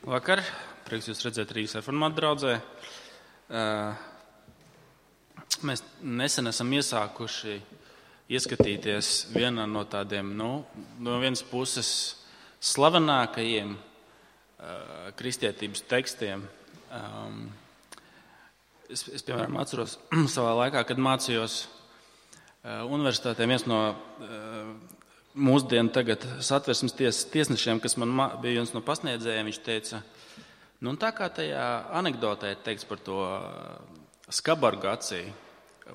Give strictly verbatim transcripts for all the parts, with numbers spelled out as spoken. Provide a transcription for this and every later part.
Vakar, prieks jūs redzēt Rīgas reformātu draudzē. Mēs nesen esam iesākuši ieskatīties vienā no tādiem, nu, no vienas puses slavenākajiem kristietības tekstiem. Es, es piemēram, atceros savā laikā, kad mācījos universitātē, viens no mūsdienu tagad satversmes ties, tiesnešiem, kas man bija viens no pasniedzējiem, viņš teica, nu tā kā tajā anekdotē ir teikts par to skabargu acī,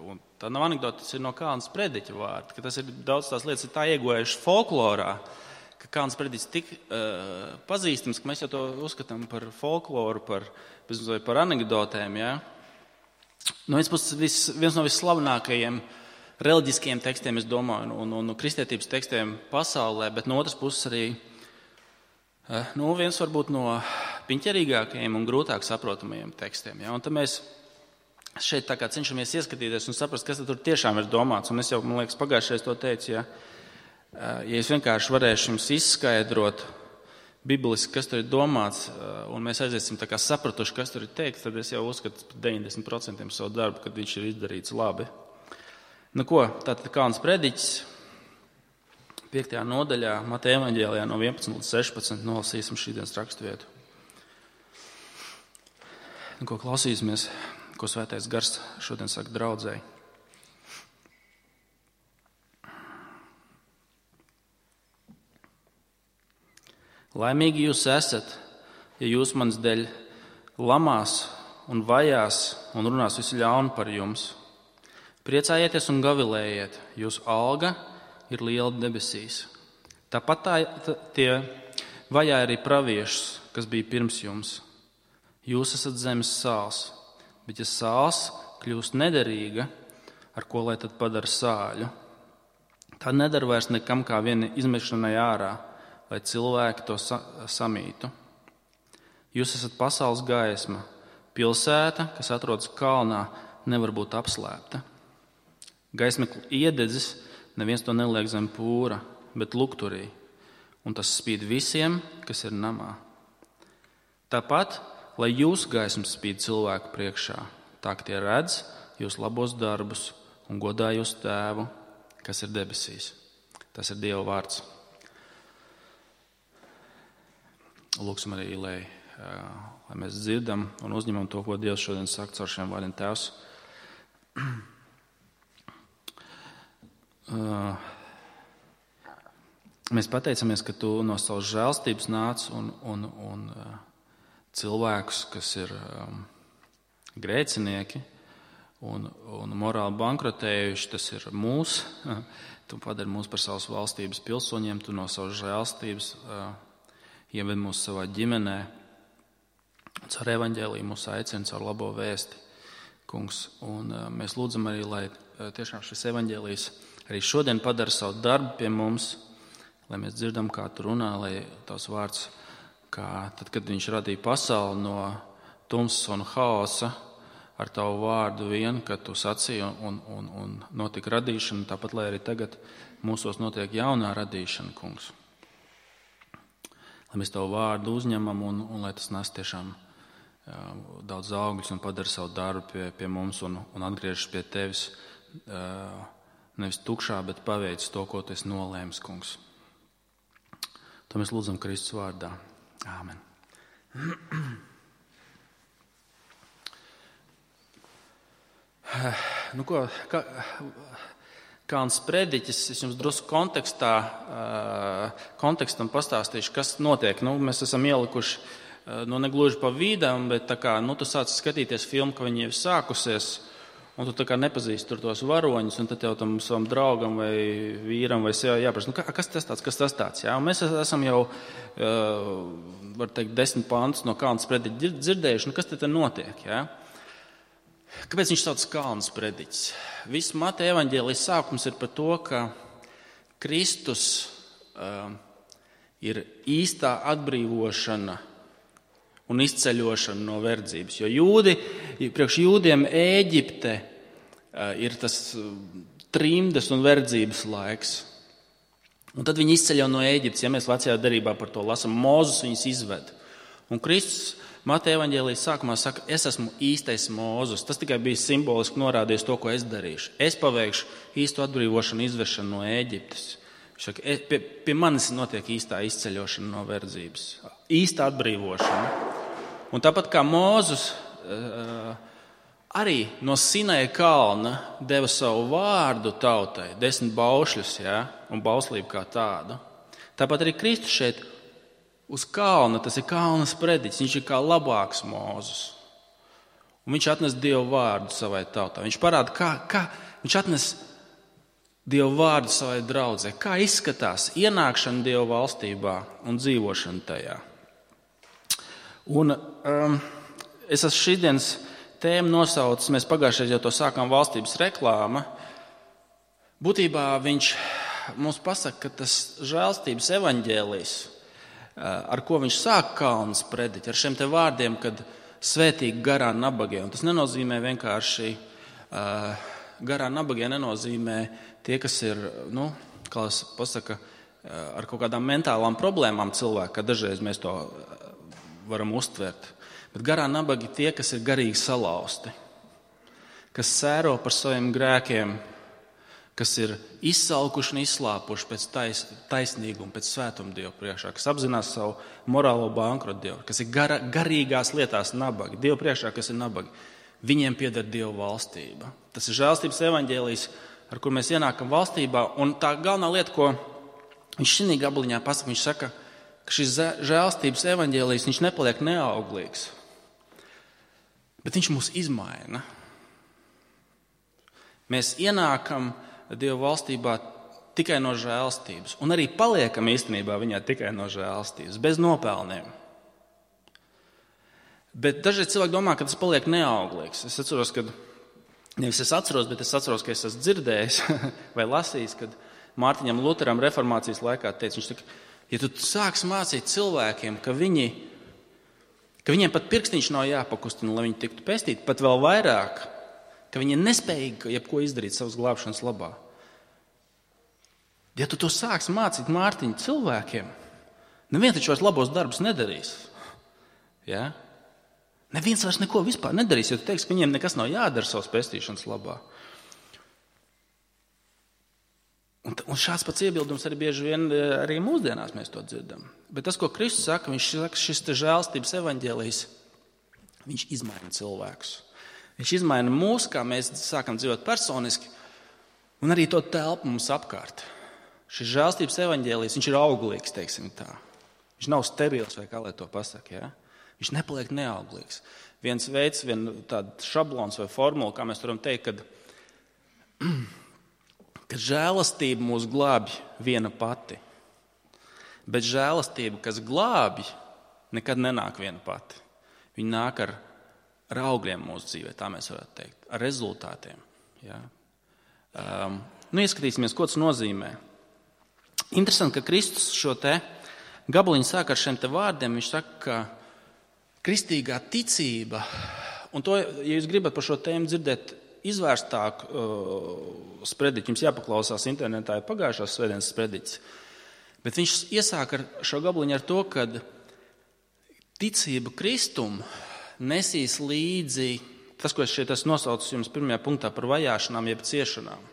un tā nav anekdote, tas ir no Kalna Sprediķa vārda, ka tas ir daudz tās lietas ir tā iegojuši folklorā, ka Kalna Sprediķis tik uh, pazīstams, ka mēs jau to uzskatām par folkloru, par, par anekdotēm, jā. No vienas puses, vis, viens no visslavenākajiem reliģiskiem tekstiem, es domāju, un, un, un kristietības tekstiem pasaulē, bet no otras puses arī nu, viens varbūt no piņķerīgākajiem un grūtāk saprotamajiem tekstiem. Ja? Un tad mēs šeit tā kā cenšamies ieskatīties un saprast, kas tur tiešām ir domāts. Un es jau, man liekas, pagājušajā to teicu, ja, ja es vienkārši varēšu jums izskaidrot bibliski, kas tur ir domāts, un mēs aiziesim tā kā sapratuši, kas tur ir teikts, tad es jau uzskatu par deviņdesmit procentiem savu darbu, kad viņš ir izdarīts labi. Nu ko, tātad Kalna Sprediķis, piektajā nodaļā, Mateja evaņģēlijā no vienpadsmit līdz sešpadsmit, nolasīsim šīdienas raksturvietu. Nu ko, klausīsimies, ko Svētais Gars šodien saka draudzēji. Laimīgi jūs esat, ja jūs manas dēļ lamās un vajās un runās visu ļaunu par jums. Priecājieties un gavilējiet, jūsu alga ir liela debesīs. Tāpat tā, tā, tie vajāja arī praviešus, kas bija pirms jums. Jūs esat zemes sāls, bet ja sāls kļūst nederīga, ar ko lai tad padara sāļu? Tā nedara vairs nekam kā viena izmešanai ārā, lai cilvēki to sa- samītu. Jūs esat pasaules gaisma, pilsēta, kas atrodas kalnā, nevar būt apslēpta. Gaismekļa iededzis, neviens to neliek zem pūra, bet lukturī, un tas spīd visiem, kas ir namā. Tāpat, lai jūsu gaisma spīd cilvēku priekšā, tā ka tie redz jūs labos darbus un godā jūsu tēvu, kas ir debesīs. Tas ir Dieva vārds. Lūksim arī, lai, lai mēs dzirdam un uzņemam to, ko Dievs šodien saka caur šiem vārdiem. Tēvs, Uh, mēs pateicamies, ka tu no savas žēlstības nāc un, un, un uh, cilvēkus, kas ir um, grēcinieki un, un morāli bankrotējuši, tas ir mūs. Uh, tu padari mūs par savas valstības pilsoņiem, tu no savas žēlstības uh, ieved mūs savā ģimenē. Caur evaņģēliju mūs aicina caur labo vēsti, kungs. Un uh, mēs lūdzam arī, lai uh, tiešām šis evaņģēlijs arī šodien padara savu darbu pie mums, lai mēs dzirdam, kā tu runā, lai tavs vārds, kā tad, kad viņš radīja pasauli no tumsas un haosa, ar tavu vārdu vien, kad tu sacīji un, un, un notika radīšana, tāpat, lai arī tagad mūsos notiek jaunā radīšana, kungs. Lai mēs tavu vārdu uzņemam un, un lai tas nes tiešām jā, daudz augļus un padara savu darbu pie, pie mums un, un atgriežas pie tevis, uh, nevis tukšā, bet paveic to, ko tu esi nolēmis, kungs. To mēs lūdzam Kristus vārdā. Āmen. Nu ko, kā, Kalna Sprediķis, es jums drusku kontekstā, kontekstam pastāstīšu, kas notiek. Nu, mēs esam ielikuši, nu negluži pa vīdām, bet tā kā, nu tu sāc skatīties filmu, ka viņi jau sākusies, un tu tā kā nepazīsti tur tos varoņus, un tad jau tam savam draugam vai vīram vai sievai jāprasa, nu kas tas tāds, kas tas tāds, jā? Un mēs esam jau, uh, var teikt, desmit pantus no Kalna Sprediķa dzirdējuši, nu kas te te notiek, jā? Kāpēc viņš sauc Kalna Sprediķis? Viss Mateja evaņģēlijas sākums ir par to, ka Kristus uh, ir īstā atbrīvošana un izceļošana no verdzības. Jo jūdi, priekš jūdiem Ēģipte ir tas trimdes un verdzības laiks. Un tad viņi izceļ jau no Ēģiptes, ja mēs vecajā derībā par to lasam, Mozus viņus izved. Un Kristus Mateja evaņģēlijas sākumā saka, es esmu īstais Mūzes. Tas tikai bija simboliski norādījis to, ko es darīšu. Es paveikšu īstu atbrīvošanu, izvešanu no Ēģiptes. Viņš saka, pie, pie manis notiek īstā izceļošana no verdzības. Īsta atbrīvošana. Un tāpat kā Mūzes arī no Sinaja kalna deva savu vārdu tautai, desmit baušļus, ja, un bauslību kā tādu. Tāpat arī Kristus šeit uz kalna, tas ir kalna sprediķis, viņš ir kā labāks Mūzes. Un viņš atnes Dievu vārdu savai tautai. Viņš parāda, kā, kā viņš atnes Dievu vārdu savai draudzē, kā izskatās ienākšana Dievu valstībā un dzīvošana tajā. Un um, es esmu šīdienas tēmu nosaucis, mēs pagājušajā jau to sākām valstības reklāma. Būtībā viņš mums pasaka, ka tas žēlstības evaņģēlijs, ar ko viņš sāk kalnu sprediķi, ar šiem te vārdiem, kad svētīgi garā nabagie. Un tas nenozīmē vienkārši, garā nabagie nenozīmē tie, kas ir, nu, kā es pasaka, ar kaut kādām mentālām problēmām cilvēki, kā dažreiz mēs to varam uztvert. Bet garā nabagi tie, kas ir garīgi salauzti, kas sēro par saviem grēkiem, kas ir izsalkuši un izslāpuši pēc tais, taisnīguma, pēc svētuma Dievu priekšā, kas apzinās savu morālo bankrotu Dievu, kas ir gara, garīgās lietās nabagi, Dievu priekšā, kas ir nabagi. Viņiem pieder Dievu valstība. Tas ir žēlstības evaņģēlijs, ar kur mēs ienākam valstībā, un tā galvenā lieta, ko viņš šī gabaliņā pasaka, viņš saka, ka šis žēlstības evaņģēlijs, viņš nepaliek neauglīgs, bet viņš mūs izmaina. Mēs ienākam Dievu valstībā tikai no žēlstības. Un arī paliekam īstenībā viņā tikai no žēlstības, bez nopelniem. Bet dažreiz cilvēki domā, ka tas paliek neauglīgs. Es atceros, kad, nevis es atceros, bet es atceros, ka es esmu dzirdējis vai lasījis, kad Mārtiņam Luteram reformācijas laikā teica, viņš saka, ja tu sāks mācīt cilvēkiem, ka viņi, ka viņiem pat pirkstiņš nav jāpakustina, lai viņi tiktu pestīti, pat vēl vairāk, ka viņi ir nespējīgi jebko izdarīt savas glābšanas labā. Ja tu to sāks mācīt Mārtiņu cilvēkiem, neviens taču vairs labos darbus nedarīs. Ja? Neviens vairs neko vispār nedarīs, jo tu teiksi, ka viņiem nekas nav jādara savas pestīšanas labā. Un, un šāds pats iebildums arī bieži vien arī mūsdienās mēs to dzirdam. Bet tas, ko Kristus saka, viņš saka, šis te žēlstības evaņģēlijs, viņš izmaina cilvēkus. Viņš izmaina mūs, kā mēs sākam dzīvot personiski, un arī to telpu mums apkārt. Šis žēlstības evaņģēlijs, viņš ir auglīgs, teiksim tā. Viņš nav sterils, vai kā lai to pasaka, ja? Viņš nepaliek neauglīgs. Viens veids, viena tāda šablons vai formula, kā mēs varam teikt, kad, kad žēlastība mūs glābj viena pati, bet žēlastība, kas glābj, nekad nenāk viena pati. Viņa nāk ar ar augļiem mūsu dzīvē, tā mēs varētu teikt, ar rezultātiem. Ja? Um, nu, ieskatīsimies, ko tas nozīmē. Interesanti, ka Kristus šo te gabaliņu sāk ar šiem te vārdiem. Viņš saka, ka kristīgā ticība, un to, ja jūs gribat par šo tēmu dzirdēt izvērstāk uh, sprediķi, jums jāpaklausās internetā, ir pagājušās svētdienas sprediķis. Bet viņš iesāk ar šo gabaliņu ar to, ka ticība Kristumu nesīs līdzi, tas, ko es šeit esmu nosaucis jums pirmajā punktā par vajāšanām, jeb ciešanām.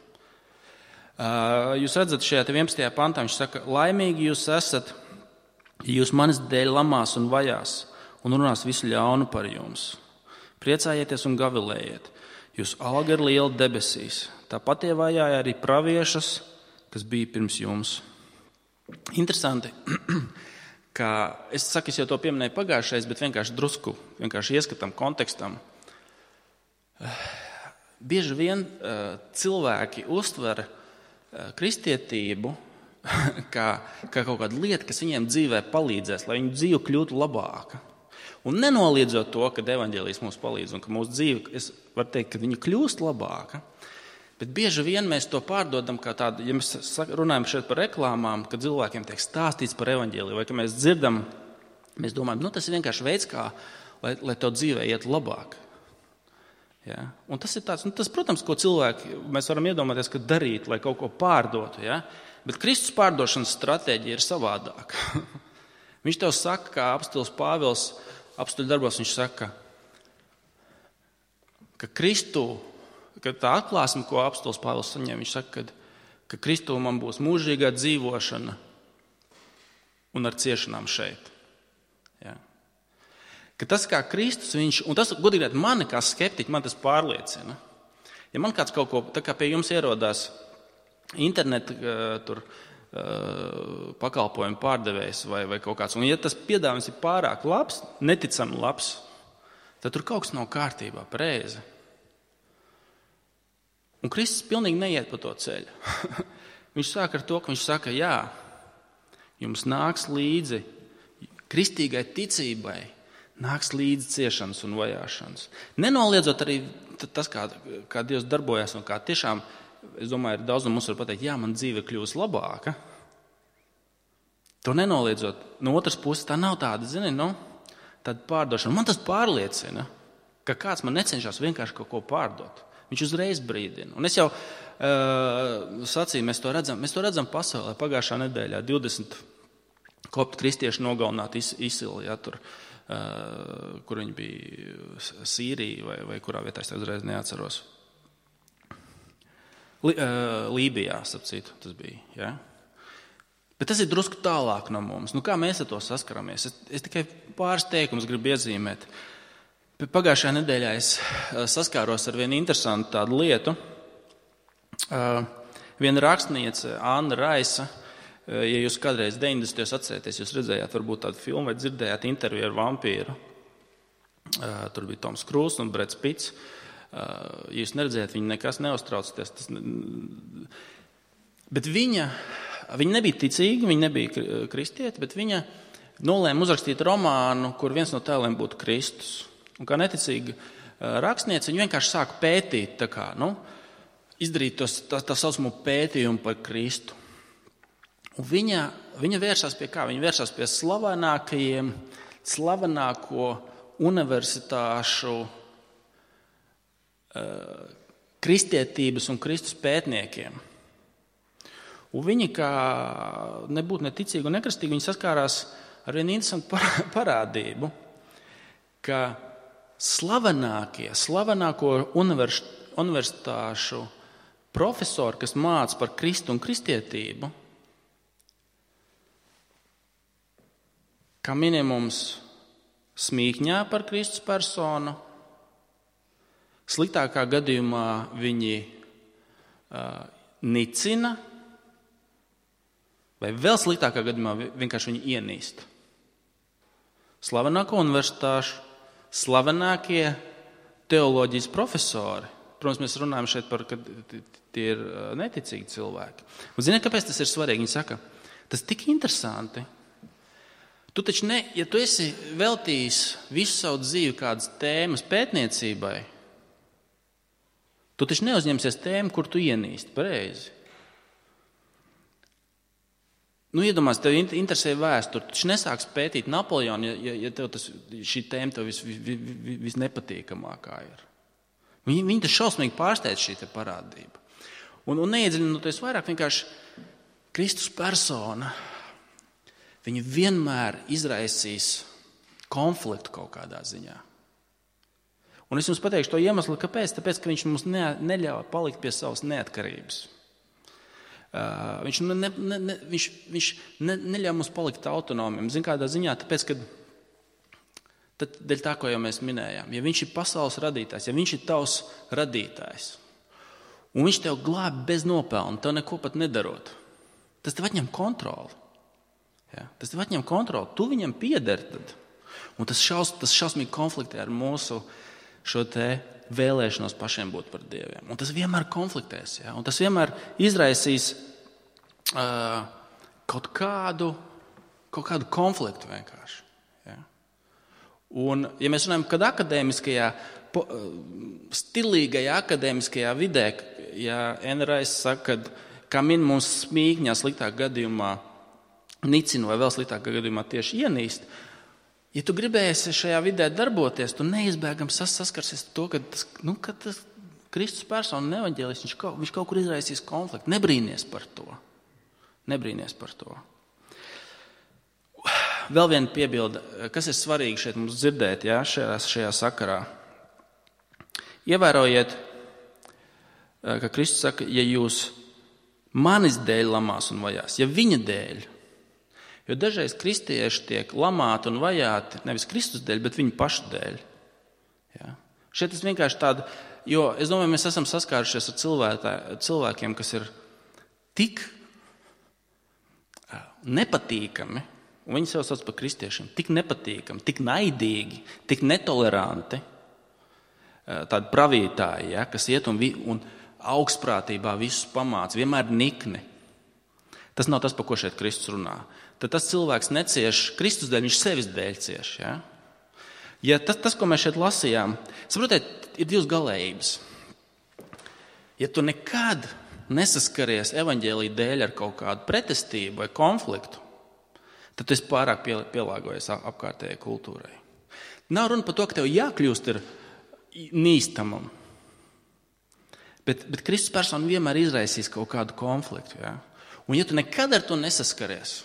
Jūs redzat šajā vienpadsmitajā pantā, viņš saka, laimīgi jūs esat, ja jūs manis dēļ lamās un vajās un runās visu ļaunu par jums. Priecājieties un gavilējiet, jūs alga ir liela debesīs. Tāpat tie vajāja arī praviešus, kas bija pirms jums. Interesanti. Kā es saku, es jau to pieminēju pagājušais, bet vienkārši drusku, vienkārši ieskatam kontekstam. Bieži vien uh, cilvēki uztver uh, kristietību kā, kā kaut kādu lietu, kas viņiem dzīvē palīdzēs, lai viņu dzīve kļūtu labāka. Un nenoliedzot to, ka evaņģēlijs mums palīdz un ka mūsu dzīve, es varu teikt, ka viņa kļūst labāka. Bet bieži vien mēs to pārdodam kā tādu, ja mēs runājam šeit par reklāmām, kad cilvēkiem tiek stāstīts par evaņģēliju, vai ka mēs dzirdam, mēs domājam, nu tas ir vienkārši veids, kā, lai, lai to dzīvē iet labāk. Ja? Un tas ir tāds, nu tas, protams, ko cilvēki, mēs varam iedomāties, ka darīt, lai kaut ko pārdotu, ja? Bet Kristus pārdošanas stratēģija ir savādāka. Viņš tev saka, kā apostols Pāvils apstuļu darbos, viņš saka, ka Kristū, ka tā atklāsme, ko apostols Pāvils saņem, viņš saka, ka, ka Kristū man būs mūžīgā dzīvošana un ar ciešanām šeit. Ja. Ka tas kā Kristus, viņš, un tas, godīgi, mani kā skeptiķi, man tas pārliecina. Ja man kāds kaut ko, tā kā pie jums ierodās interneta tur pakalpojumu pārdevējs vai, vai kaut kāds, un ja tas piedāvājums ir pārāk labs, neticami labs, tad tur kaut kas nav kārtībā, pareizi. Un Kristus pilnīgi neiet pa to ceļu. Viņš sāk ar to, ka viņš saka, jā, jums nāks līdzi kristīgai ticībai, nāks līdzi ciešanas un vajāšanas. Nenoliedzot arī tas, kā, kā Dievs darbojas un kā tiešām, es domāju, ir daudz no mums var pateikt, jā, man dzīve kļūst labāka. To nenoliedzot. No otras puses, tā nav tāda, zini, no, tāda pārdošana. Man tas pārliecina, ka kāds man necenšas vienkārši kaut ko pārdot. Viņš uzreiz brīdina. Un es jau uh, sacīju, mēs to redzam, mēs to redzam pasaulē. Pagājušā nedēļā divdesmit koptu kristieši nogalināti ISIL, ja, tur, uh, kur viņi bija Sīrija vai, vai kurā vietā, es tā uzreiz neatceros. Lībijā, sapcīt, tas bija. Ja? Bet tas ir drusku tālāk no mums. Nu, kā mēs ar to saskaramies? Es, es tikai pāris teikumus gribu iezīmēt. Pagājušajā nedēļā es saskāros ar vienu interesantu tādu lietu. Viena rakstniece, Anna Raisa, ja jūs kādreiz deviņdesmitajos atcerieties, jūs redzējāt varbūt tādu filmu vai dzirdējāt interviju ar vampīru. Tur bija Toms Krūss un Breds Pitts. Ja jūs neredzējāt, viņa nekas neuztraucties. Tas ne... Bet viņa, viņa nebija ticīga, viņa nebija kristieti, bet viņa nolēma uzrakstīt romānu, kur viens no tēliem būtu Kristus. Un kā neticīga rakstniece, viņa vienkārši sāka pētīt, tā kā, nu, izdarīt tos, tā, tā saucamo pētījumu par Kristu. Un viņa, viņa vērsās pie kā? Viņa vērsās pie slavenākajiem, slavenāko universitāšu kristietības un Kristus pētniekiem. Un viņi, kā nebūtu neticīgi un nekristīgi, viņi saskārās ar vienu interesantu parādību, ka slavenākie, slavenāko universitāšu profesori, kas māca par Kristu un kristietību, kā minimums smīkņā par Kristus personu, sliktākā gadījumā viņi uh, nicina, vai vēl sliktākā gadījumā vienkārši viņi ienīst. Slavenāko universitāšu, slavenākie teoloģijas profesori. Protams, mēs runājam šeit par, ka tie ir neticīgi cilvēki. Un ziniet, kāpēc tas ir svarīgi? Viņi saka, tas tik interesanti. Tu taču ne, ja tu esi veltījis visu savu dzīvi kādas tēmas pētniecībai, tu taču neuzņemsies tēmu, kur tu ienīsti, pareizi. Nu, iedomās, tev interesē vēsture, tu taču nesāks pētīt Napoleonu, ja, ja tev tas, šī tēma tev vis, vis, vis, visnepatīkamākā ir. Viņi, viņi tas šausmīgi pārsteidz šī te parādība. Un, un neiedziļinoties vairāk, vienkārši Kristus persona, viņa vienmēr izraisīs konfliktu kaut kādā ziņā. Un es jums pateikšu to iemeslu, kāpēc. Tāpēc, ka viņš mums ne, neļauj palikt pie savas neatkarības. Uh, viņš ne, ne, ne, viņš, viņš ne, neļauj mums palikt autonomiem. Zin kādā ziņā, tāpēc, ka tad, dēļ tā, ko jau mēs minējām, ja viņš ir pasaules radītājs, ja viņš ir tavs radītājs, un viņš tev glāb bez nopelna, tev neko pat nedarot, tas tev atņem kontroli. Ja? Tas tev atņem kontroli. Tu viņam piederi tad. Un tas, šaus, tas šausmīgi konfliktē ar mūsu šo te vēlēšanos pašiem būt par dieviem. Un tas vienmēr konfliktēs. Ja? Un tas vienmēr izraisīs uh, kaut kādu, kaut kādu konfliktu vienkārši. Ja? Un, ja mēs runājam, kad akadēmiskajā, po, stilīgajā akadēmiskajā vidē, ja Enrais saka, kad kā min mums smīkņā sliktāk gadījumā nicina vai vēl sliktākā gadījumā tieši ienīst, ja tu gribēsi šajā vidē darboties, tu neizbēgam saskarsies to, ka tas, nu, ka tas Kristus persona un evaņģēlis, viņš kaut, viņš kaut kur izraisīs konfliktu. Nebrīnies par to. Nebrīnies par to. vēl viena piebilde, kas ir svarīgi šeit mums dzirdēt, jā, šajā, šajā sakarā. Ievērojiet, ka Kristus saka, ja jūs manis dēļ lamās un vajās, ja viņa dēļ, jo dažreiz kristieši tiek lamāti un vajāti nevis Kristus dēļ, bet viņa paša dēļ. Jā. Šeit es vienkārši tādu, jo es domāju, mēs esam saskārušies ar cilvētā, cilvēkiem, kas ir tik nepatīkami, un viņi sev sauc par kristiešiem, tik nepatīkami, tik naidīgi, tik netoleranti, tādi pravītāji, ja, kas iet un, un augstprātībā visus pamāca, vienmēr nikni. Tas nav tas, par ko šeit Kristus runā. Tad tas cilvēks necieš Kristus dēļ, viņš sevis dēļ cieš. Ja, ja tas, tas, ko mēs šeit lasījām, saprotiet, ir divas galējības. Ja tu nekad nesaskaries evaņģēlija dēļ ar kaut kādu pretestību vai konfliktu, tad tu esi pārāk pielāgojies apkārtējai kultūrai. Nav runa par to, ka tev jākļūst ir nīstamam. Bet, bet Kristus persona vienmēr izraisīs kaut kādu konfliktu. Ja? Un ja tu nekad ar to nesaskaries,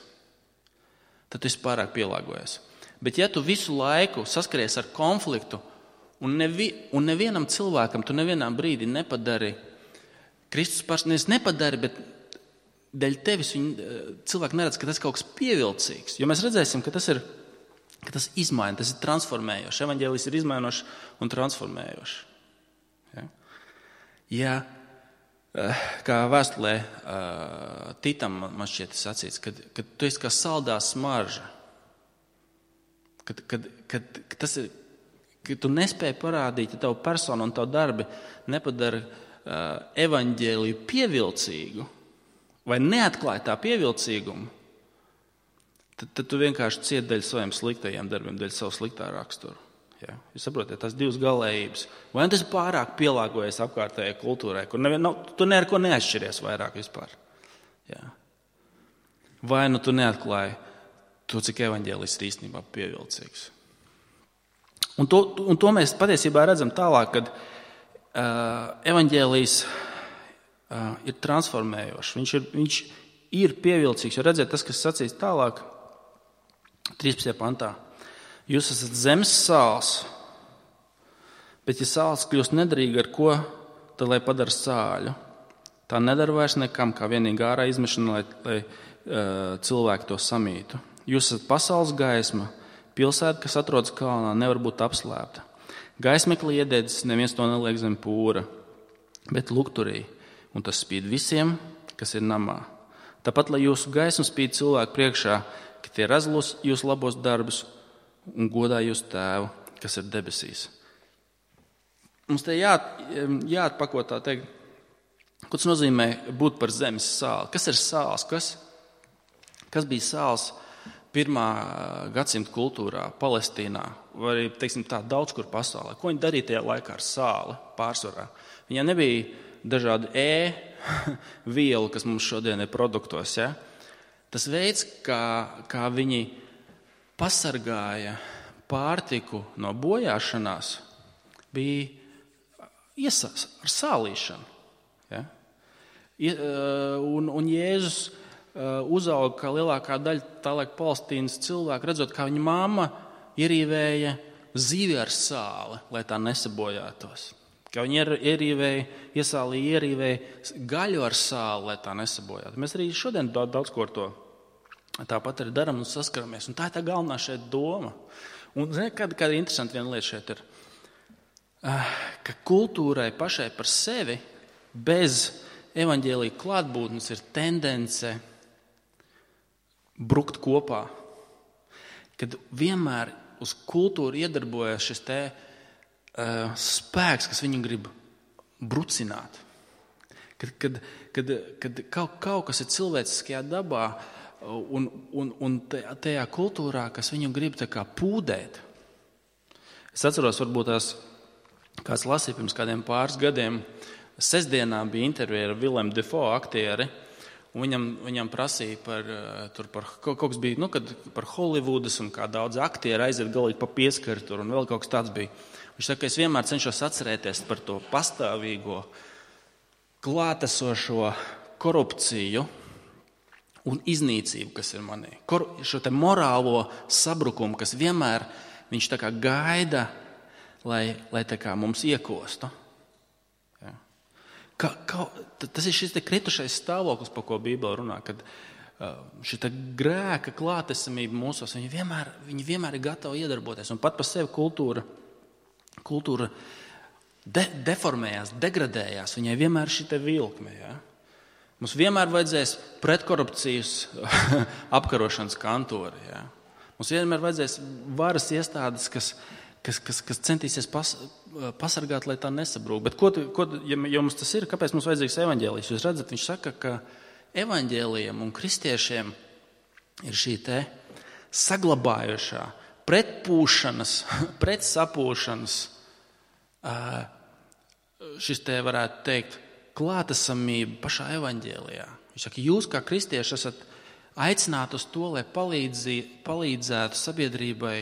tad tu esi pārāk pielāgojies. Bet ja tu visu laiku saskaries ar konfliktu un, nevi, un nevienam cilvēkam tu nevienā brīdī nepadari, Kristus persona nepadari, bet dēļ tevis viņi, cilvēki neredz, ka tas ir kaut kas pievilcīgs. Jo mēs redzēsim, ka tas ir ka tas izmaina, tas ir transformējošs. Evaņģēlijs ir izmainošs un transformējošs. Ja? Ja, kā vēstulē Titam man šķiet sacīts, kad, kad tu esi kā saldā smarža, kad, kad, kad, kad, tas ir, kad tu nespēji parādīt, ja tavu personu un tavu darbi nepadara evaņģēliju pievilcīgu vai neatklāja tā pievilcīgumu, Tad, tad tu vienkārši cieti dēļ saviem sliktajiem darbiem, dēļ savu sliktā raksturu. Ja? Jūs saprotiet, tās divas galējības. Vai tas ir pārāk pielāgojies apkārtējai kultūrai, kur nevien, nav, tu ne ar ko neatšķiries vairāk vispār. Ja? Vai nu tu neatklāji to, cik evaņģēlis ir īstenībā pievilcīgs. Un to, un to mēs patiesībā redzam tālāk, kad uh, evaņģēlijs uh, ir transformējošs. Viņš ir, viņš ir pievilcīgs, jo redziet, tas, kas sacīs tālāk, trīspadsmitajā pantā. Jūs esat zemes sāls, bet ja sāls kļūst nederīga ar ko, tad lai padara sāļu. Tā nedara vairs nekam, kā vienīgi ārā izmešana, lai, lai uh, cilvēki to samītu. Jūs esat pasaules gaisma, pilsēta, kas atrodas kalnā, nevar būt apslēpta. Gaismekli iededzis, neviens to neliek zem pūra, bet lukturī, un tas spīd visiem, kas ir namā. Tāpat, lai jūsu gaisma spīd cilvēku priekšā, ka tie redz jūsu labos darbus un godā jūsu tēvu, kas ir debesīs. Mums te jā, jāatpako tā teikt, ko tas nozīmē būt par zemes sāli. Kas ir sāls? Kas, kas bija sāls pirmā gadsimta kultūrā, Palestīnā, vai arī, teiksim tā, daudz kur pasaulē? Ko viņi darīja tajā laikā ar sāli pārsvarā? Viņiem nebija dažādi E vielu, kas mums šodien ir produktos. Ja? Tas veids, kā, kā viņi pasargāja pārtiku no bojāšanās, bija iesās ar sālīšanu. Ja? Un, un Jēzus uzauga kā lielākā daļa tā laika Palestīnas cilvēku, redzot, kā viņa mamma ierīvēja zivi ar sāli, lai tā nesabojātos. Kā viņi ierīvēja, iesālīja ierīvēja gaļu ar sāli, lai tā nesabojātu. Mēs arī šodien daudz, daudz ko ar to tāpat arī darām un saskaramies. Un tā ir tā galvenā šeit doma. Un zini, kāda, kāda interesanta viena lieta šeit ir, ka kultūrai pašai par sevi bez evaņģēlija klātbūtnes ir tendence brukt kopā. Kad vienmēr uz kultūru iedarbojas šis te uh, spēks, kas viņu grib brucināt. Kad, kad, kad, kad kaut, kaut kas ir cilvēciskajā dabā un, un, un tajā kultūrā, kas viņu grib tā kā pūdēt. Es atceros, varbūt tās kāds lasīja pirms kādiem pāris gadiem, sestdienā bija intervija ar Willemu Dafoe aktieri, un viņam, viņam prasīja par, tur par kaut kas bija, nu, kad par Hollywoodas un kā daudz aktieri aiziet galīgi pa pieskari tur, un vēl kaut kas tāds bija. Viņš saka, es vienmēr cenšos atcerēties par to pastāvīgo, klātesošo korupciju un iznīcību, kas ir manī. Kor, šo te morālo sabrukumu, kas vienmēr viņš tā kā gaida, lai, lai tā kā mums iekostu. Ja. Ka, ka, tas ir šis te kritušais stāvoklis, par ko Bībele runā, kad uh, šī grēka klātesamība mūsos, viņi vienmēr, viņi vienmēr ir gatavi iedarboties. Un pat par sevi kultūra, kultūra de, deformējās, degradējās, viņai vienmēr ir šī te vilkme. Ja. Mums vienmēr vajadzēs pretkorupcijas apkarošanas kantori. Ja. Mums vienmēr vajadzēs varas iestādes, kas, kas, kas, kas centīsies pas, pasargāt, lai tā nesabrūk. Bet, ko, ko, ja, ja mums tas ir, kāpēc mums vajadzīgs evaņģēlijs? Jūs redzat, viņš saka, ka evaņģēlijam un kristiešiem ir šī te saglabājošā, pretpūšanas, pretsapūšanas, šis te varētu teikt, klātesamība pašā evaņģēlijā. Viņš saka, jūs kā kristieši esat aicināti uz to, lai palīdzi, palīdzētu sabiedrībai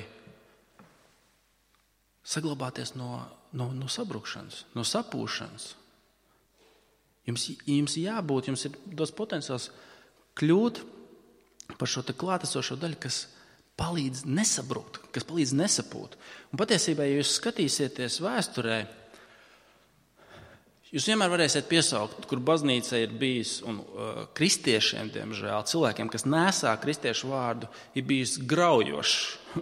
saglabāties no, no, no sabrukšanas, no sapūšanas. Jums, jums jābūt, jums ir dos potenciāls kļūt par šo te klātesošo daļu, kas palīdz nesabrukt, kas palīdz nesapūt. Un patiesībā, ja jūs skatīsieties vēsturē, jūs vienmēr varēsiet piesaukt, kur baznīca ir bijis, un uh, kristiešiem, diemžēl, cilvēkiem, kas nesā kristiešu vārdu, ir bijis graujoši,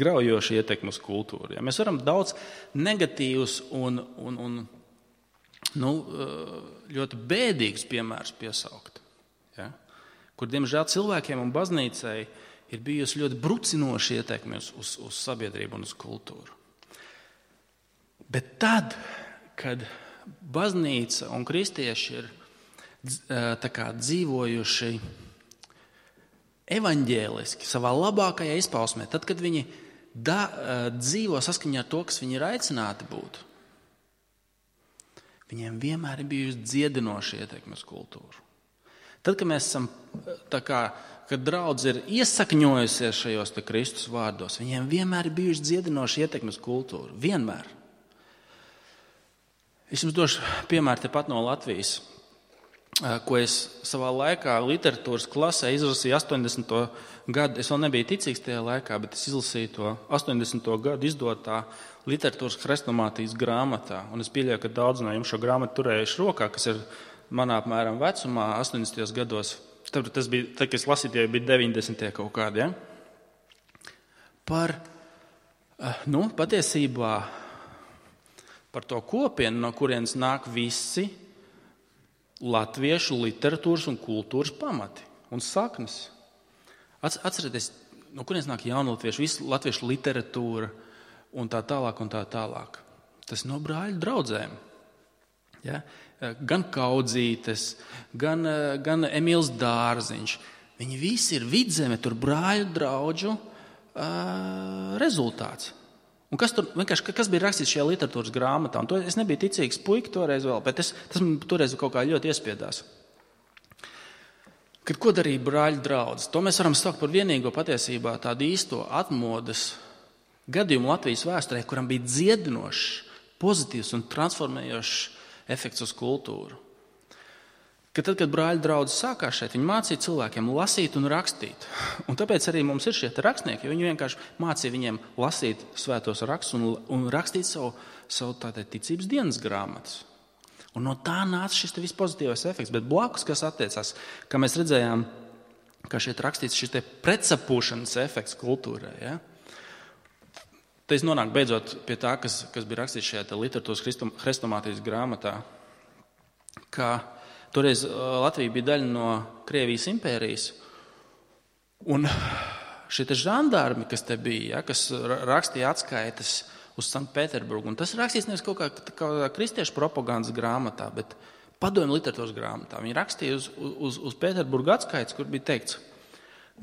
graujoši ietekmi uz kultūru. Ja? Mēs varam daudz negatīvus un, un, un nu, uh, ļoti bēdīgus piemērus piesaukt, ja? Kur, diemžēl, cilvēkiem un baznīcai ir bijusi ļoti brucinoši ietekmi uz, uz, uz sabiedrību un uz kultūru. Bet tad, kad baznīca un kristieši ir tā kā dzīvojuši evaņģēliski, savā labākajā izpausmē, tad, kad viņi da, dzīvo saskaņā ar to, kas viņi ir aicināti būt, viņiem vienmēr ir bijusi dziedinoša ietekme uz kultūru. Tad, kad mēs esam tā kā, kad draudze ir iesakņojusies šajos te Kristus vārdos, viņiem vienmēr ir bijusi dziedinoša ietekme uz kultūru. Vienmēr. Es jums došu piemēru tepat no Latvijas, ko es savā laikā literatūras klasē izlasīju astoņdesmito gadu. Es vēl nebiju ticīgs tajā laikā, bet es izlasīju to astoņdesmito gadu izdotā literatūras hrestomātijas grāmatā. Un es pieļauju, ka daudz no jums šo grāmatu turējuši rokā, kas ir manā apmēram vecumā, astoņdesmitajos gados. Tad, tas bija, tad, kad es lasīju, tie bija deviņdesmitie kaut kādi. Ja? Par, nu, patiesībā, par to kopienu, no kurienes nāk visi latviešu literatūras un kultūras pamati un saknes. Atcerieties, no kurienes nāk jaunatviešu, visu latviešu literatūra un tā tālāk un tā tālāk. Tas no brāļu draudzēm. Ja? Gan Kaudzītes, gan, gan Emīls Dārziņš. Viņi visi ir Vidzeme, tur brāļu draudžu uh, rezultāts. Un kas, tur, kas bija rakstīts šajā literatūras grāmatā? Un to, es nebiju ticīgs puika toreiz vēl, bet es, tas man toreiz kaut kā ļoti iespiedās. Kad ko darīja brāļu draudzes? To mēs varam saukt par vienīgo patiesībā tādu īsto atmodas gadījumu Latvijas vēsturē, kuram bija dziedinošs, pozitīvs un transformējošs efekts uz kultūru. Kad tad, kad brāļu draudzes sākās šeit, viņi mācīja cilvēkiem lasīt un rakstīt. Un tāpēc arī mums ir šie rakstnieki, jo viņi vienkārši mācīja viņiem lasīt svētos rakstus un, un rakstīt savu, savu tātad ticības dienas grāmatas. Un no tā nāca šis te vispozitīvais efekts. Bet blakus, kas attiecās, kā mēs redzējām, kā šeit rakstīts šis te pretsapūšanas efekts kultūrai. Ja? Te es nonāku beidzot pie tā, kas, kas bija rakstīts šajā literatūras hrestomātijas grāmatā, ka toreiz Latvija bija daļa no Krievijas impērijas, un šie te žandarmi, kas te bija, ja, kas rakstīja atskaites uz Sanktpēterburgu, un tas rakstīts nevis kaut kā, kā kristiešu propagandas grāmatā, bet padomju literatūras grāmatā. Viņi rakstīja uz, uz, uz Pēterburgu atskaites, kur bija teikts,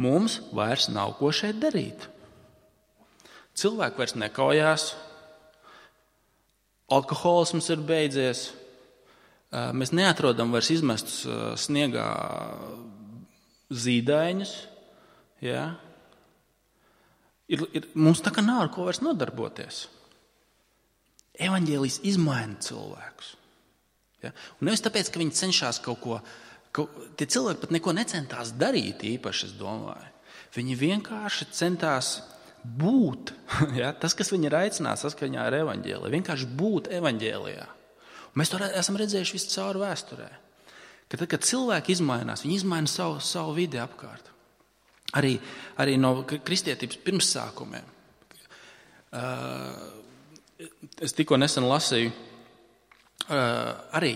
mums vairs nav ko šeit darīt. Cilvēki vairs nekaujās, alkoholisms ir beidzies, mēs neatrodam vairs izmestus sniegā zīdaiņus. Ja? Ir, ir, mums tā kā nav ar ko vairs nodarboties. Evaņģēlijs izmaina cilvēkus. Ja? Un nevis tāpēc, ka viņi cenšas kaut ko, ka tie cilvēki pat neko necentās darīt īpaši, es domāju. Viņi vienkārši centās būt, ja, tas, kas viņi ir aicināts saskaņā ar evaņģēliju, vienkārši būt evaņģēlijā. Un mēs to esam redzējuši visu cauri vēsturē. Ka tad, kad cilvēki izmainās, viņi izmaina savu, savu vidi apkārt. Arī, arī no kristietības pirmsākumiem. Uh, es tikko nesen lasīju, uh, arī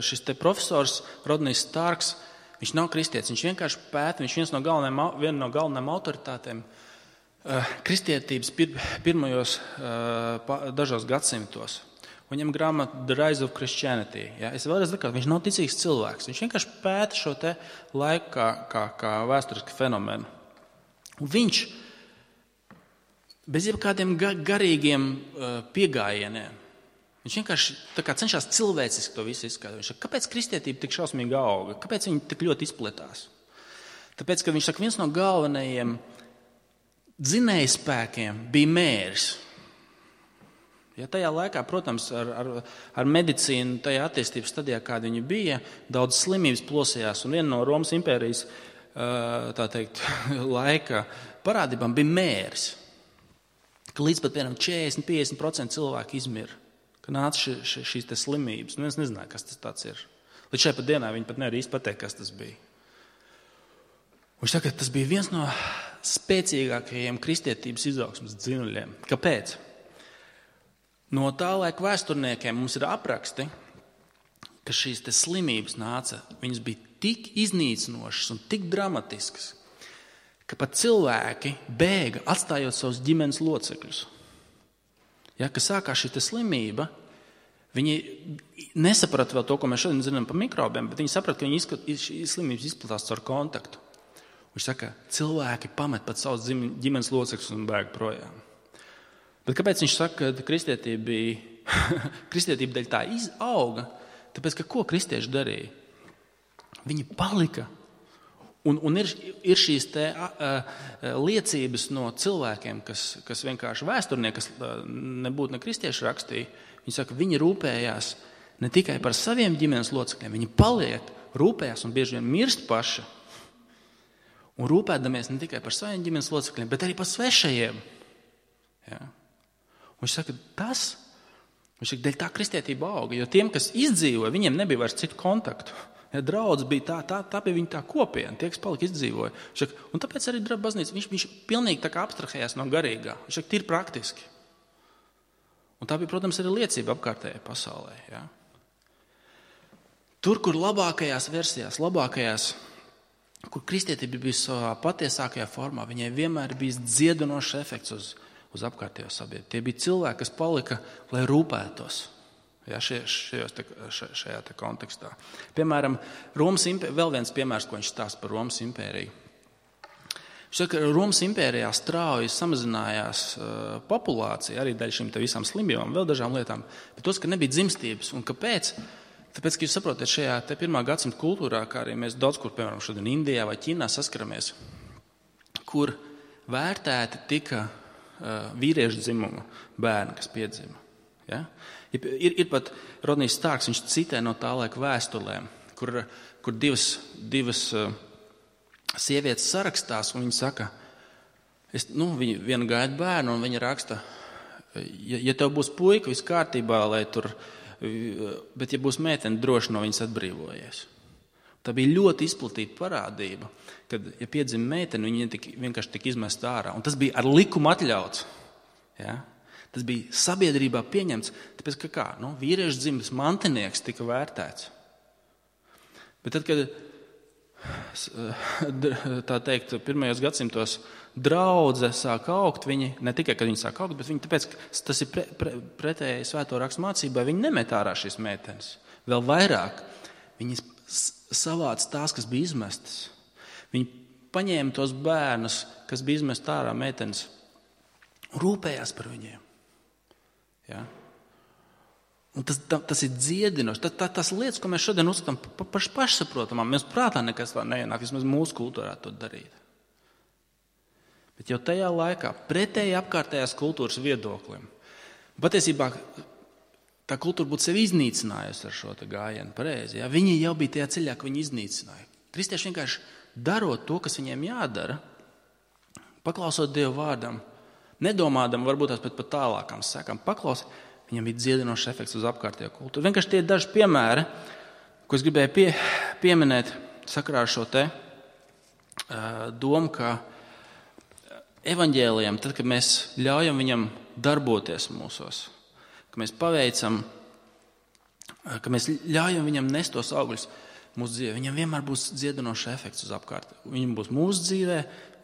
šis te profesors Rodnijs Starks, viņš nav kristietis, viņš vienkārši pēta, viņš viens no galvenajiem, viena no galvenajiem autoritātēm uh, kristietības pir, pirmajos uh, dažos gadsimtos. Viņam grāmata The Rise of Christianity. Ja? Es vēlreiz saku, viņš nav ticīgs cilvēks. Viņš vienkārši pēta šo te laiku kā, kā, kā vēsturisku fenomenu. Un viņš bez jebkādiem garīgiem uh, piegājieniem, viņš vienkārši tā kā cenšas cilvēciski to visu izskaidrot. Viņš saka, kāpēc kristietība tik šausmīgi auga? Kāpēc viņi tik ļoti izpletās? Tāpēc, ka viņš saka, viens no galvenajiem dzinējspēkiem bija mēris. Ja tajā laikā, protams, ar, ar, ar medicīnu, tajā attīstības stadijā, kāda viņa bija, daudz slimības plosījās, un viena no Romas impērijas tā teikt, laika parādībām bija mēris. Ka līdz pat piemēram četrdesmit līdz piecdesmit procenti cilvēku izmira. Ka nāca ši, ši, šīs te slimības. Nu, es nezināju, kas tas tāds ir. Līdz šai pat dienā viņi pat nevar īsti pateikt, kas tas bija. Viņš saka, ka tas bija viens no spēcīgākajiem kristietības izaugsmes dzinuļiem. Kāpēc? No tā laika vēsturniekiem mums ir apraksti, ka šīs te slimības nāca, viņas bija tik iznīcinošas un tik dramatiskas, ka pat cilvēki bēga, atstājot savus ģimenes locekļus. Ja, ka sākās šī slimība, viņi nesaprata vēl to, ko mēs šodien zinām par mikrobiem, bet viņi saprata, ka viņi izskat, šīs slimības izplatās caur kontaktu. Viņš saka, cilvēki pamet pat savus ģimenes locekļus un bēg projām. Bet kāpēc viņš saka, ka kristietība bija, kristietība dēļ tā izauga? Tāpēc, ka ko kristieši darīja? Viņi palika. Un, un ir, ir šīs te, uh, liecības no cilvēkiem, kas, kas vienkārši vēsturnieki, kas uh, nebūtu ne kristieši rakstīja. Viņi saka, viņi rūpējās ne tikai par saviem ģimenes locekļiem, viņi paliek, rūpējās un bieži vien mirst paši. Un rūpēdamies ne tikai par saviem ģimenes locekļiem, bet arī par svešajiem. Ja? Un viņš saka, tas, viņš saka, dēļ tā kristietība auga, jo tiem, kas izdzīvoja, viņiem nebija vairs citu kontaktu. Ja, draudz bija tā, tā, tā bija viņa tā kopiena, tie, kas palika izdzīvoja. Saka, un tāpēc arī baznīca, viņš, viņš pilnīgi tā kā abstrahējās no garīgā. Viņš saka, tīri praktiski. Un tā bija, protams, arī liecība apkārtējai pasaulē. Ja. Tur, kur labākajās versijās, labākajās, kur kristietība bija savā patiesākajā formā, viņai vienmēr bija dziedinošs efekts uz, uz apkārtējo sabiedrību. Tie bija cilvēki, kas palika, lai rūpētos. Ja, šajos, te, šajā te kontekstā. Piemēram, Romas impērija, vēl viens piemērs, ko viņš stāsta par Romas impēriju. Viņš saka, ka Romas impērijā strauji samazinājās uh, populācija, arī daļa šīm te visām slimībām, vēl dažām lietām, bet tos, ka nebija dzimstības. Un kāpēc? Tāpēc, ka jūs saprotat, šajā te pirmā gadsimta kultūrā, kā arī mēs daudz kur, piemēram, šodien Indijā vai Ķīnā saskaramies, kur vērtēti tika uh, vīriešu dzimuma bērni, kas piedzima. Ja? Ir, ir pat Rodnijs Starks, viņš citē no tā laika vēstulēm, kur, kur divas, divas uh, sievietes sarakstās, un viņa saka, es, nu, viņa viena gaida bērnu, un viņa raksta, ja, ja tev būs puika, viss kārtībā, lai tur, bet ja būs meitene, droši no viņas atbrīvojies. Tā bija ļoti izplatīta parādība, kad, ja piedzima meitene, viņa tik, vienkārši tika izmesta ārā, un tas bija ar likumu atļauts. Ja? Tas bija sabiedrībā pieņemts, tāpēc, ka kā, nu, vīriešu dzimtas mantinieks tika vērtēts. Bet tad, kad, tā teikt, pirmajos gadsimtos draudze sāk augt, viņi, ne tikai, kad viņi sāk augt, bet viņi, tāpēc, ka tas ir pre, pre, pretēji svēto rakstu mācībai, viņi nemet ārā šīs meitenes. Vēl vairāk, viņi savāca tās, kas bija izmestas. Viņi paņēma tos bērnus, kas bija izmest ārā meitenes, un rūpējās par viņiem. Ja? Un tas, tas ir dziedinoši. Tas, tas, tas lietas, ko mēs šodien uzskatām par paš, pašsaprotamām, mēs prātā nekas vēl neienāk, vismaz mūsu kultūrā to darīt. Bet jau tajā laikā pretēji apkārtējās kultūras viedoklim. Patiesībā tā kultūra būtu sevi iznīcinājusi ar šo te gājienu, pareizi. Ja? Viņi jau bija tajā ceļā, ka viņi iznīcināja. Kristieši vienkārši darot to, kas viņiem jādara, paklausot Dievu vārdam, nedomādam varbūt tās pat tālākām sekām, paklausot, viņam bija dziedinošs efekts uz apkārtējo kultūru. Vienkārši tie ir daži piemēri, ko es gribēju pie, pieminēt sakarā ar šo te uh, domu, ka evaņģēlijam, tad, kad mēs ļaujam viņam darboties mūsos, ka mēs paveicam, ka mēs ļaujam viņam nest tos augļus mūsu dzīvē, viņam vienmēr būs dziedinošs efekts uz apkārtējo. Viņam būs mūsu dzīvē,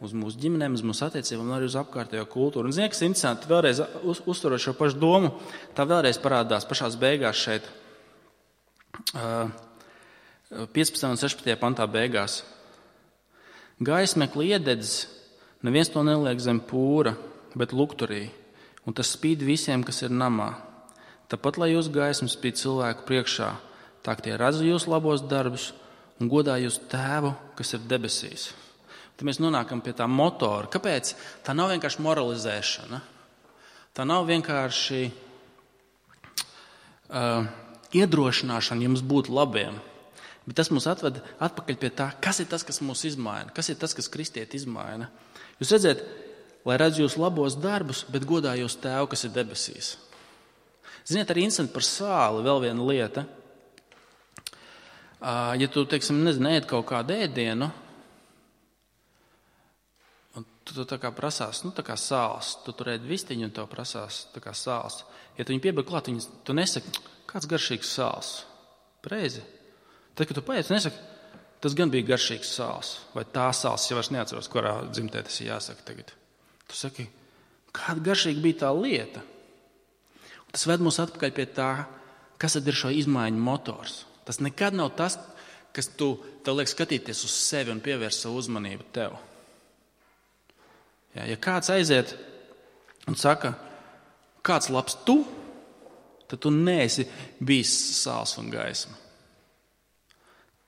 uz mūsu ģimenēm, uz mūsu attiecībām un arī uz apkārtējo kultūru. Un, ziniet, kas interesanti, vēlreiz uz, uzturot šo pašu domu, tā vēlreiz parādās pašās beigās šeit, piecpadsmitajā un sešpadsmitajā pantā beigās. Gaismekli iededz, neviens to neliek zem pūra, bet lukturī, un tas spīd visiem, kas ir namā. Tāpat, lai jūs gaisma spīd cilvēku priekšā, tā tie redz jūs labos darbus un godā jūs tēvu, kas ir debesīs. Tad mēs nonākam pie tā motora. Kāpēc? Tā nav vienkārši moralizēšana. Tā nav vienkārši uh, iedrošināšana jums būt labiem. Bet tas mūs atved atpakaļ pie tā, kas ir tas, kas mūs izmaina, kas ir tas, kas kristieti izmaina. Jūs redzat, lai redz jūs labos darbus, bet godā jūs tēvu, kas ir debesīs. Ziniet, arī interesanti par sāli vēl viena lieta. Ja tu, teiksim, nezinu, ēd kaut kādu ēdienu, un tu, tu tā kā prasās, nu tā kā sāls, tu tur ēd vistiņu un tev prasās tā kā sāls. Ja tu viņu piebeig klāt, viņu, tu nesaki, kāds garšīgs sāls. Pareizi. Tad, kad tu paiet, tu nesaki, tas gan bija garšīgs sāls, vai tā sāls, ja vairs neatceros, kurā dzimtē tas ir jāsaka tagad. Tu saki, kāda garšīga bija tā lieta. Un tas ved mūs atpakaļ pie tā, kas tad ir šo izmaiņu motors. Tas nekad nav tas, kas tu, tev liek skatīties uz sevi un pievērst savu uzmanību tev. Ja, ja kāds aiziet un saka, kāds labs tu, tad tu neesi bijis sāls un gaisma.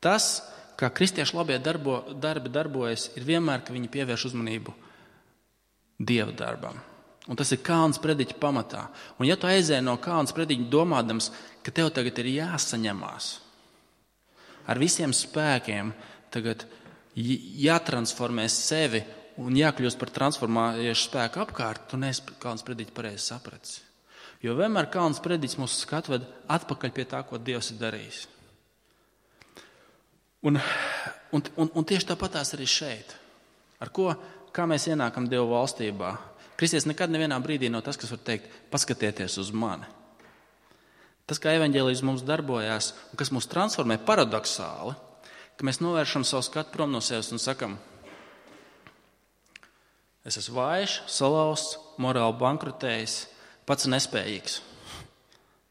Tas, kā kristiešu labie darbo, darbi darbojas, ir vienmēr, ka viņi pievērš uzmanību Dieva darbam. Un tas ir Kalna prediķa pamatā. Un ja tu aizēji no Kalna prediķa domādams, ka tev tagad ir jāsaņemās, ar visiem spēkiem tagad jātransformē sevi un jākļūst par transformējušu spēku apkārt, tu neesi Kalna prediķa pareizi sapratis. Jo vienmēr Kalna prediķis mūsu skatu ved atpakaļ pie tā, ko Dievs ir darījis. Un, un, un, un tieši tāpatās arī šeit. Ar ko, kā mēs ienākam Dieva valstībā? Kristietis nekad nevienā brīdī nav tas, kas var teikt, paskatieties uz mani. Tas, kā evaņģēlijs mums darbojās un kas mūs transformē paradoksāli, ka mēs novēršam savu skatu prom no sevis un sakam, es esmu vājš, salauzts, morāli bankrotējis, pats nespējīgs.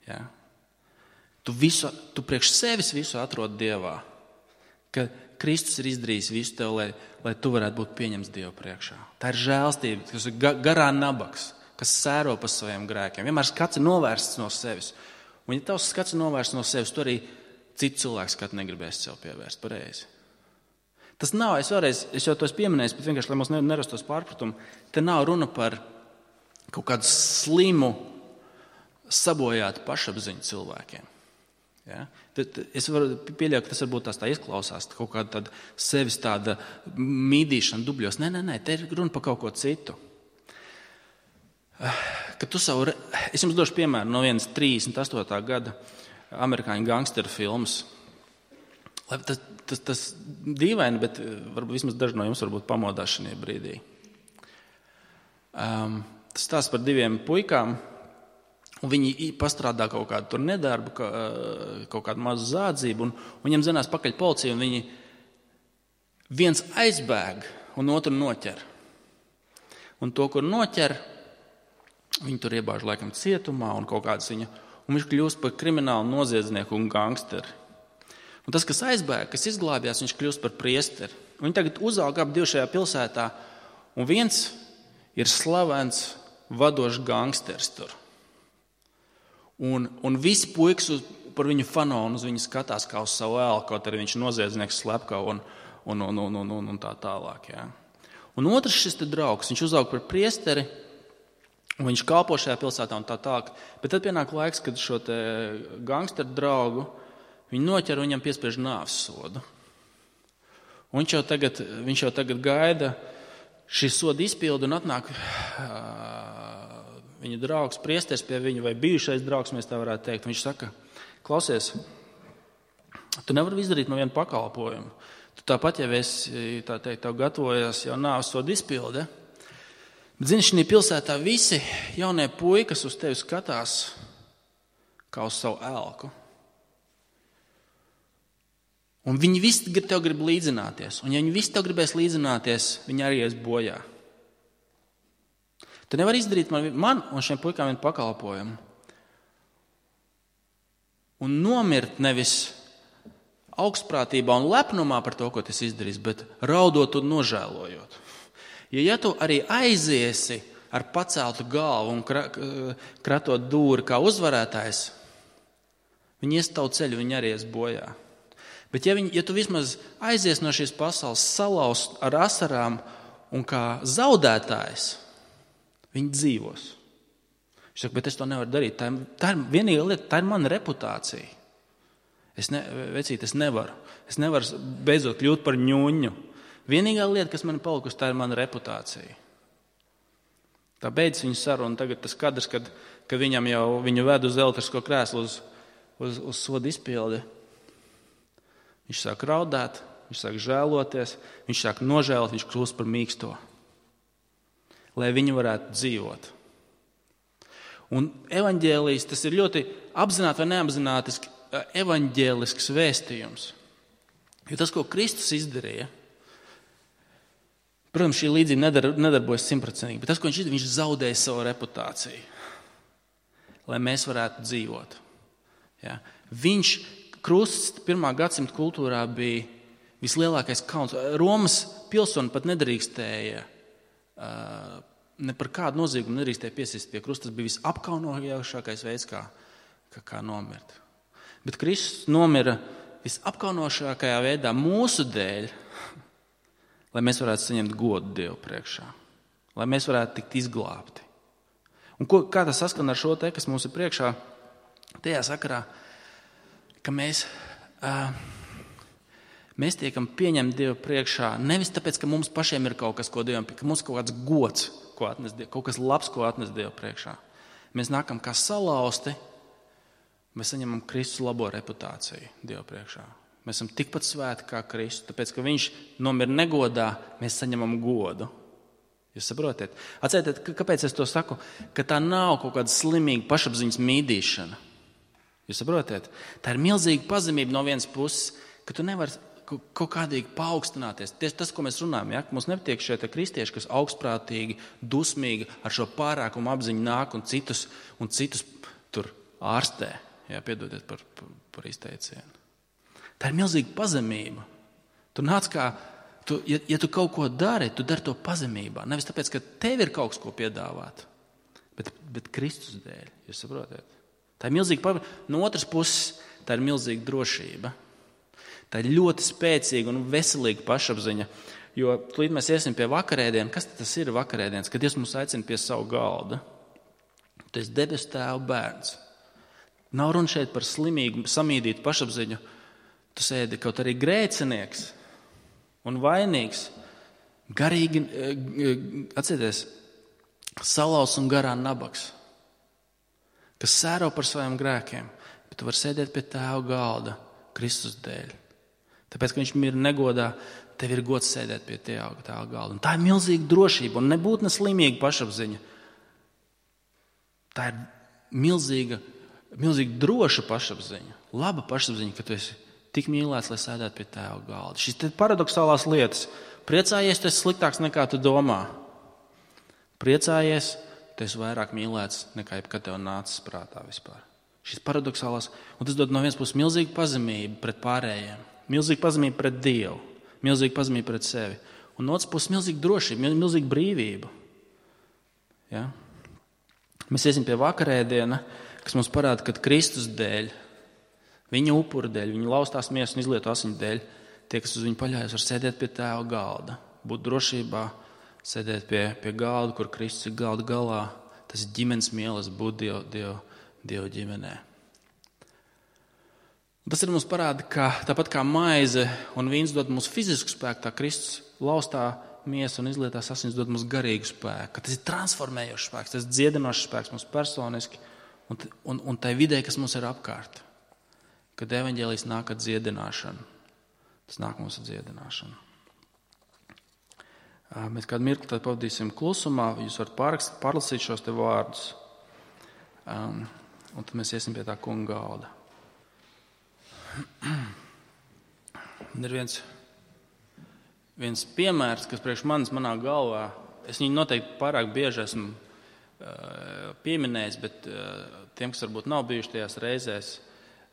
Ja? Tu, visu, tu priekš sevis visu atrod Dievā, ka Kristus ir izdarījis visu tev, lai, lai tu varētu būt pieņemts Dievu priekšā. Tā ir žēlstība, kas ir garā nabaks, kas sēro pa saviem grēkiem. Vienmēr skats ir novērsts no sevis. Un ja tavs skats ir novērsts no sevis, tu arī citu cilvēku skatu negribēs sev pievērst pareizi. Tas nav, es vēlreiz, es jau to esmu pieminējis, bet vienkārši, lai mums nerastos pārpratumu, te nav runa par kaut kādu slimu, sabojātu pašapziņu cilvēkiem. Ja? Tad es varu pieļaut, ka tas varbūt tās tā izklausās, kaut kāda tāda sevis tāda mīdīšana dubļos. Nē, nē, nē, te ir runa par kaut ko citu. Kad tu savu, es jums došu piemēru no vienas trīsdesmit astotā gada amerikāņu gangsteru filmas. Tas, tas, tas dīvaini, bet varbūt vismaz daži no jums varbūt pamodās šajā brīdī. Um, tas stāsts par diviem puikām, un viņi pastrādā kaut kādu tur nedarbu, kaut kādu mazu zādzību, un, un viņiem zinās pakaļ policija, un viņi viens aizbēg un otru noķer. Un to, kur noķer, viņi tur iebāž laikam cietumā un kaut kādas viņa, un viņš kļūst par kriminālu noziedznieku un gangsteri. Un tas, kas aizbēg, kas izglābjās, viņš kļūst par priesteri. Un viņi tagad uzauga ap divu šajā pilsētā, un viens ir slavens vadošs gangsters tur. Un, un visi puikas uz, par viņu fano un uz viņu skatās kā uz savu ēlu, kaut arī viņš noziedznieks slepkava un, un, un, un, un, un tā tālāk. Ja. Un otrs šis te draugs, viņš uzauga par priesteri, Un viņš kalpo šajā pilsētā un tā tālāk. Bet tad pienāk laiks, kad šo te gangsteru draugu viņi noķer un viņam piespiež nāves sodu. Un viņš jau tagad, viņš jau tagad gaida šī soda izpildu un atnāk uh, viņa draugs priesteris pie viņu vai bijušais draugs, mēs tā varētu teikt. Viņš saka, klausies, tu nevari izdarīt man vienu pakalpojumu. Tu tāpat jau esi, tā teikt, tev gatavojies jau nāves soda izpilde. Bet, zini, šī pilsētā visi jaunie puikas uz tevi skatās kā uz savu elku. Un viņi visi tev grib līdzināties. Un ja viņi visi tev gribēs līdzināties, viņi arī ies bojā. Tu nevari izdarīt man, man un šiem puikām vienu pakalpojumu. Un nomirt nevis augstprātībā un lepnumā par to, ko tas izdarīs, bet raudot un nožēlojot. Jo ja tu arī aiziesi ar paceltu galvu un kratot dūri kā uzvarētājs, viņi ies tavu ceļu, viņi arī ies bojā. Bet ja, viņi, ja tu vismaz aizies no šīs pasaules salaust ar asarām un kā zaudētājs, viņi dzīvos. Viņš saka, bet es to nevaru darīt. Tā ir, tā ir vienīgā lieta, tā ir mana reputācija. Es, ne, vecīt, es nevaru. Es nevaru beidzot kļūt par ņuņu. Vienīgā lieta, kas man ir palikusi, tā ir mana reputācija. Tā beidz viņu sarunu. Tagad tas kadrs, kad, kad viņam jau viņu ved uz elektrisko krēslu uz, uz, uz soda izpildi. Viņš sāk raudāt, viņš sāk žēloties, viņš sāk nožēlot, viņš kļūst par mīksto. Lai viņi varētu dzīvot. Un evaņģēlijs, tas ir ļoti apzināti vai neapzināti evaņģēlisks vēstījums. Jo tas, ko Kristus izdarīja, protams, šī līdzība nedar, nedarbojas simtprocentīgi, bet tas, ko viņš izdarīja, viņš zaudēja savu reputāciju, lai mēs varētu dzīvot. Ja? Viņš krusts pirmā gadsimta kultūrā bija vislielākais kauns. Romas pilsoni pat nedrīkstēja, ne par kādu noziegumu nedrīkstēja piesist pie krusta. Tas bija visapkaunojošākais veids, kā, kā, kā nomirt. Bet Kristus nomira visapkaunošākajā veidā mūsu dēļ, lai mēs varētu saņemt godu Dievu priekšā, lai mēs varētu tikt izglābti. Un ko, kā tas saskan ar šo te, kas mums ir priekšā, tajā sakarā, ka mēs, uh, mēs tiekam pieņemti Dievu priekšā nevis tāpēc, ka mums pašiem ir kaut kas, ko Dievam, ka mums kaut kāds gods, ko atnes Dievu, kaut kas labs, ko atnes Dievu priekšā. Mēs nākam kā salauzti, mēs saņemam Kristus labo reputāciju Dievu priekšā. Mēs esam tikpat svēti kā Kristus, tāpēc, ka viņš nomira negodā, mēs saņemam godu. Jūs saprotiet? Atcerieties, kāpēc es to saku? Ka tā nav kaut kāda slimīga pašapziņas mīdīšana. Jūs saprotiet? Tā ir milzīga pazemība no vienas puses, ka tu nevari kaut kādīgi paaugstināties. Tieši tas, ko mēs runājam, ja? Mums nepatīk šie kristieši, kas augstprātīgi, dusmīgi ar šo pārākumu apziņu nāk un citus, un citus tur ārstē. Jā, piedodiet par, par, par izteicienu. Tā ir milzīga pazemība. Tu nāc kā, tu, ja, ja tu kaut ko dari, tu dari to pazemībā. Nevis tāpēc, ka tev ir kaut kas, ko piedāvāt, bet, bet Kristus dēļ. Jūs saprotiet? Tā ir milzīga pazemība. No otras puses, tā ir milzīga drošība. Tā ir ļoti spēcīga un veselīga pašapziņa. Jo līdz mēs iesim pie vakarēdiena, kas tas ir vakarēdiens? Kad Dievs mūs aicina pie savu galda. Tu esi debesu Tēva bērns. Nav runa šeit par slimīgu, samīdītu pašapziņu. Tu sēdi kaut arī grēcinieks un vainīgs, garīgi, atcerieties, salauz un garā nabaks, kas sēro par saviem grēkiem, bet tu vari sēdēt pie Tēva galda Kristus dēļ. Tāpēc, ka viņš mir negodā, tev ir gods sēdēt pie Tēva galda. Un tā ir milzīga drošība un nebūt neslimīga pašapziņa. Tā ir milzīga, milzīga droša pašapziņa, laba pašapziņa, ka tu esi tik mīlēts, lai sēdētu pie Tēva galda. Šis te paradoxālās lietas. Priecājies, tu esi sliktāks nekā tu domā. Priecājies, tu esi vairāk mīlēts nekā jebkad tev nācis prātā vispār. Šis paradoxālās, un tas dod no vienas puses milzīgu pazemību pret pārējiem, milzīgu pazemību pret Dievu, milzīgu pazemību pret sevi, un no otras puses milzīgu drošību, milzīgu brīvību. Ja? Mēs iesim pie vakarēdiena, kas mums parāda, ka Kristus dēļ, viņa upura dēļ, viņa laustās miesas un izlieto asiņu dēļ, tie, kas uz viņu paļaujas, var sēdēt pie Tēva galda, būt drošībā, sēdēt pie, pie galda, kur Kristus ir galda galā. Tas ir ģimenes mīlestība būt Dievu, Dievu, Dievu ģimenē. Un tas ir mums parāda, ka tāpat kā maize un vīns dod mums fizisku spēku, tā Kristus laustā miesa un izlietās asins dod mums garīgu spēku. Tas ir transformējošs spēks, tas ir dziedinošs spēks mums personiski un, un, un tai vidē, kas mums ir apkārt. Kad evaņģēlijs nāk ar dziedināšanu, tas nāk mums ar dziedināšanu. Mēs kādu mirkli tad pavadīsim klusumā, jūs varat pārrakstīt, pārlasīt šos te vārdus. Um, un tad mēs iesim pie tā kunga galda. Ir viens, viens piemērs, kas priekš manis manā galvā, es viņu noteikti pārāk bieži esmu uh, pieminējis, bet uh, tiem, kas varbūt nav bijuši tajās reizēs,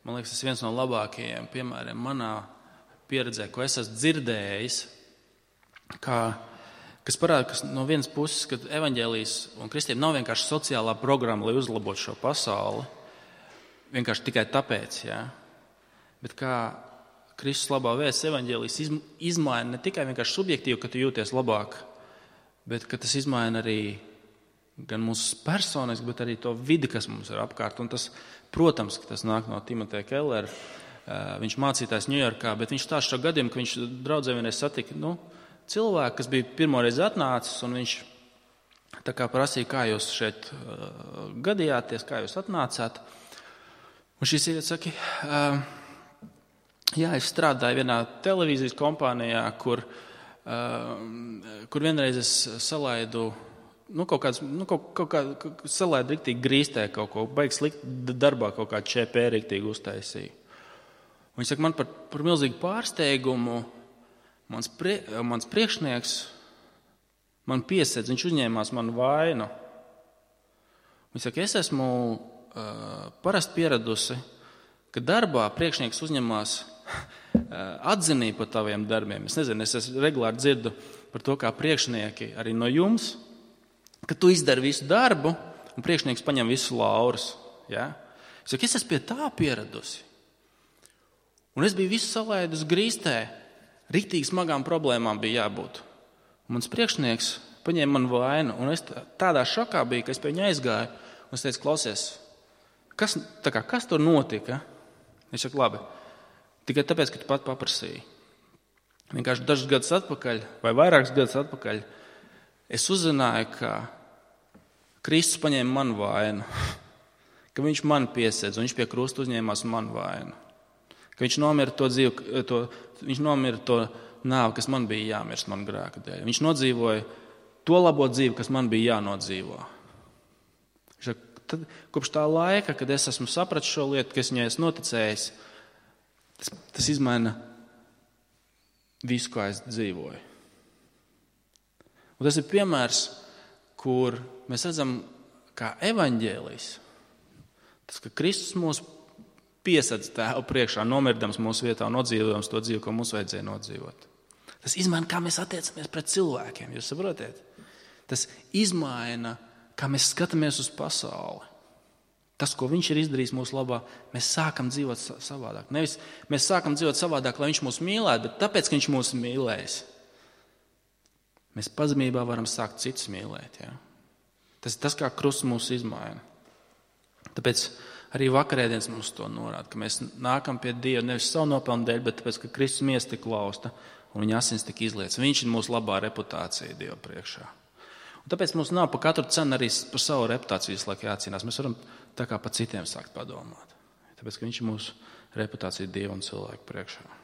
man liekas, tas ir viens no labākajiem piemēriem manā pieredzē, ko es esmu dzirdējis, kā, kas parāda, ka no vienas puses, ka evaņģēlijs un kristiem nav vienkārši sociālā programma, lai uzlabotu šo pasauli, vienkārši tikai tāpēc, jā. Bet kā Kristus labā vēsts evaņģēlijs izmaina ne tikai vienkārši subjektīvi, ka tu jūties labāk, bet ka tas izmaina arī gan mūsu personiski, bet arī to vidi, kas mums ir apkārt. Un tas, protams, ka tas nāk no Timoteja Kellera. Viņš mācītājs Ņujorkā, bet viņš stāsta šo gadījumu, ka viņš draudzē vienreiz satika nu, cilvēku, kas bija pirmoreiz atnācis, un viņš tā kā prasīja, kā jūs šeit uh, gadījāties, kā jūs atnācāt. Un šī sieviete saka, uh, jā, es strādāju vienā televīzijas kompānijā, kur, uh, kur vienreiz es salaidu Nu, kaut kāds, nu, kaut, kaut kā, salēd riktīgi grīstē kaut ko, baigs likt darbā kaut kādu ČP riktīgi uztaisīja. Un viņš saka, man par, par milzīgu pārsteigumu, mans, prie, mans priekšnieks man piesedz, viņš uzņēmās manu vainu. Viņš saka, es esmu uh, parasti pieradusi, ka darbā priekšnieks uzņemās uh, atzinību par taviem darbiem. Es nezinu, es, es regulāri dzirdu par to, kā priekšnieki arī no jums, ka tu izdari visu darbu, un priekšnieks paņem visu laurus. Ja? Es saku, es esmu pie tā pieradusi. Un es biju visu salaidus grīstē, riktīgi smagām problēmām bija jābūt. Un mans priekšnieks paņēma man vainu, un es tādā šokā biju, ka es pie viņa aizgāju, un es teicu, klausies, kas, tā kā, kas tur notika? Es saku, labi, tikai tāpēc, ka tu pat paprasīji. Vienkārši dažus gadus atpakaļ, vai vairākus gadus atpakaļ, es uzzināju, ka Kristus paņēma manu vainu, ka viņš man piesedz, un viņš pie krusta uzņēmās manu vainu, ka viņš nomira to dzīvi, to, viņš nomira to nāvi, kas man bija jāmirst manu grēku dēļ. Viņš nodzīvoja to labo dzīvi, kas man bija jānodzīvo. Tad, kopš tā laika, kad es esmu sapratis šo lietu, ka es viņai esmu noticējis, tas, tas izmaina visu, kā es dzīvoju. Un tas ir piemērs, kur mēs redzam, kā evaņģēlijs, tas, ka Kristus mūs piesedz tēvu priekšā, nomirdams mūsu vietā un nodzīvojams to dzīvi, ko mums vajadzēja nodzīvot. Tas izmaina, kā mēs attiecamies pret cilvēkiem, jūs saprotiet? Tas izmaina, kā mēs skatāmies uz pasauli. Tas, ko viņš ir izdarījis mūsu labā, mēs sākam dzīvot savādāk. Nevis mēs sākam dzīvot savādāk, lai viņš mūs mīlētu, bet tāpēc, ka viņš mūs mīlējis. Mēs pazemībā varam sākt citus mīlēt. Ja? Tas ir tas, kā krusts mūs izmaina. Tāpēc arī vakarēdienas mums to norāda, ka mēs nākam pie Dieva nevis savu nopelnu dēļ, bet tāpēc, ka Kristus miesa tika lausta un viņa asins tika izlietas. Viņš ir mūsu labā reputācija Dieva priekšā. Un tāpēc mums nav par katru cenu arī par savu reputāciju visu laiku jācīnās. Mēs varam tā kā par citiem sākt padomāt. Tāpēc, ka viņš ir mūsu reputācija Dieva un cilvēku priekšā.